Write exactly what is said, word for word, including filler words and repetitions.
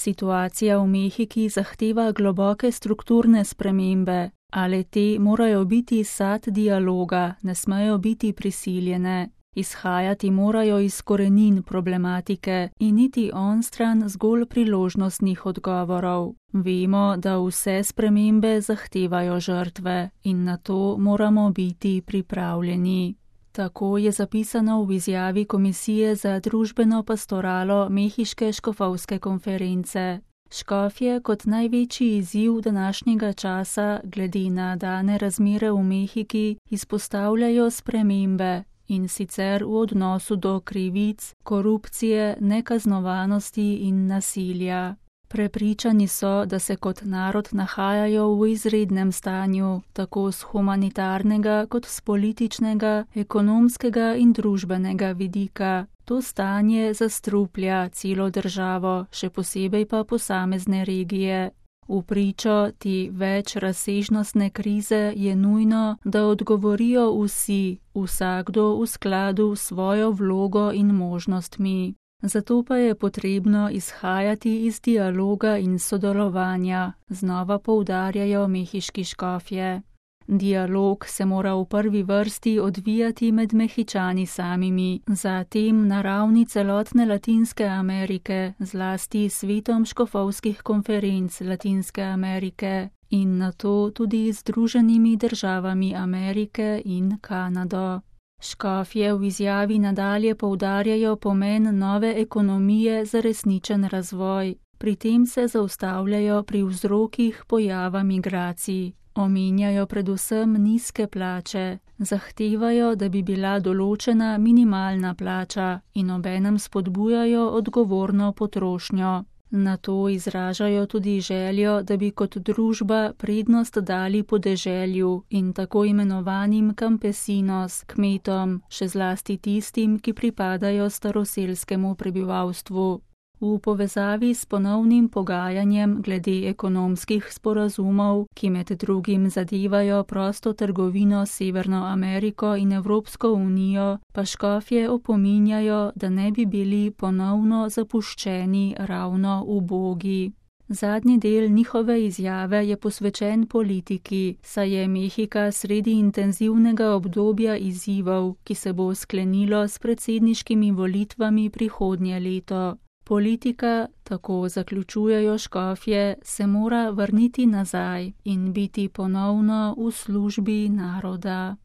Situacija v Mehiki zahteva globoke strukturne spremembe, ale te morajo biti sad dialoga, ne smejo biti prisiljene. Izhajati morajo iz korenin problematike in iti onstran zgolj priložnostnih odgovorov. Vemo, da vse spremembe zahtevajo žrtve in na to moramo biti pripravljeni. Tako je zapisano v izjavi Komisije za družbeno pastoralo Mehiške škofovske konference. Škofje kot največji izziv današnjega časa glede na dane razmere v Mehiki izpostavljajo spremembe, in sicer v odnosu do krivic, korupcije, nekaznovanosti in nasilja. Prepričani so, da se kot narod nahajajo v izrednem stanju, tako z humanitarnega kot z političnega, ekonomskega in družbenega vidika. To stanje zastruplja celo državo, še posebej pa posamezne regije. V pričo te več razsežnostne krize je nujno, da odgovorijo vsi, vsakdo v skladu s svojo vlogo in možnostmi. Zato pa je potrebno izhajati iz dialoga in sodelovanja, znova poudarjajo mehiški škofje. Dialog se mora v prvi vrsti odvijati med Mehičani samimi, zatem na ravni celotne Latinske Amerike, zlasti s svetom škofovskih konferenc Latinske Amerike in nato tudi z Združenimi državami Amerike in Kanado. Škofje v izjavi nadalje poudarjajo pomen nove ekonomije za resničen razvoj. Pri tem se zaustavljajo pri vzrokih pojava migracij. Omenjajo predvsem nizke plače, zahtevajo, da bi bila določena minimalna plača in obenem spodbujajo odgovorno potrošnjo. Na to izražajo tudi željo, da bi kot družba prednost dali podeželju in tako imenovanim campesinos, kmetom, še zlasti tistim, ki pripadajo staroselskemu prebivalstvu. V povezavi s ponovnim pogajanjem glede ekonomskih sporazumov, ki med drugim zadevajo prosto trgovino s Severno Ameriko in Evropsko unijo, pa škofje opominjajo, da ne bi bili ponovno zapuščeni ravno ubogi. Zadnji del njihove izjave je posvečen politiki, saj je Mehika sredi intenzivnega obdobja izzivov, ki se bo sklenilo s predsedniškimi volitvami prihodnje leto. Politika, tako zaključujejo škofje, se mora vrniti nazaj in biti ponovno v službi naroda.